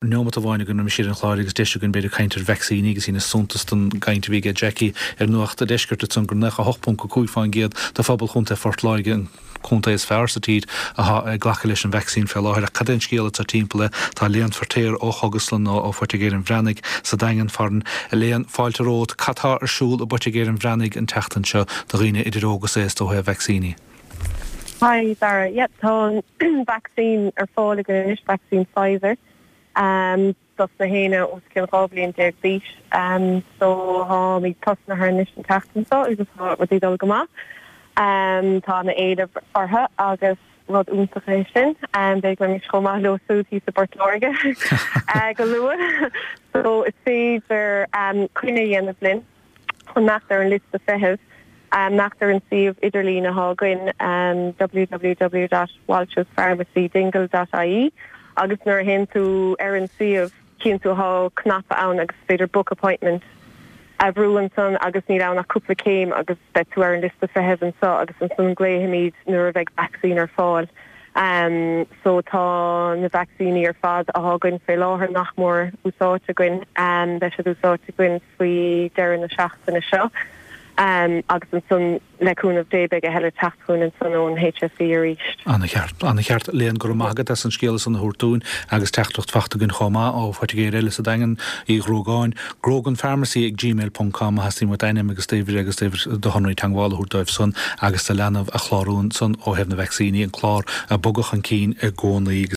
Neomat amháin againn roimis dheireadh an chláir agus deis againn b'fhéidir caint ar vacsaíní agus dheineas suntas den gcaint a bhí aige Jackie ar Nuacht a' Deiscirt ansan gur 98.5% de phobal Chontae Phort Láirge, an contae is fearr sa tír, atá ag glacadh leis an vacsaín fé láthair. Ach cad é an scéal atá timpeall air? Tá Léan Feirtéar ó Chógaslann ó Phoitigéir an Bhreathnaigh sa Daingean farainn. A Léan, fáilte romhat. Cad tá ar siúl i bPoitigéir an Bhreathnaigh an tseachtain seo do dhaoine idir óg is aosta ó thaobh vacsaíní? Hi Dara, yep tá an vacsaín ar fáil againn anois, vacsaín Pfizer, dos na héinne os cionn 12 bliain d'aois. So táimid tosnaithe anois an tseachtain seo agus tá rudaí ag dul go maith. Tá ana éileamh orthu agus rud iontach é sin. Beidh go mbeimid chomh maith leo siúd thíos i bPort Láirge go luath. So is féidir coinne a dhéanamh linn. Imeacht ar an liosta feithimh, imeacht ar an suíomh idirlín atá againn, www.walshespharmacydingle.ie, agus nuair a théann tú ar an suíomh cíonn tú thá cnaipe ann agus is féidir book appointment a bhrú ansan agus níl ann ach cúpla céim agus beidh tú ar an liosta feithimh anso agus ansan glaofaimid nuair a bheidh vacsaín ar fáil. So tá na vacsaíní ar fad athá againn fé láthair nach mór úsáidte againn, beidh siad úsáidte againn. faoi deireadh na seachtaine seo agus ansan le cúnamh Dé beidh a thuilleadh teacht chugainn ansan ón HSE arís. Ana-cheart. Ana-cheart. Léan, go raibh maith agat as an scéala san a thabhairt dúinn agus teachtaireacht fachta againn chomh maith ó phoitigéir eile sa Daingean, Uí Ghruagáin, groganpharmacy ag gmail ponc com má theastaíonn uait ainm agus d'uimhir agus d'uimhir do shonraí teagmhála a thabhairt dóibh san agus do leanbh a chlárú ansan ó thaobh na vacsaíní, an clár ag bogadh chun cinn i gcónaí.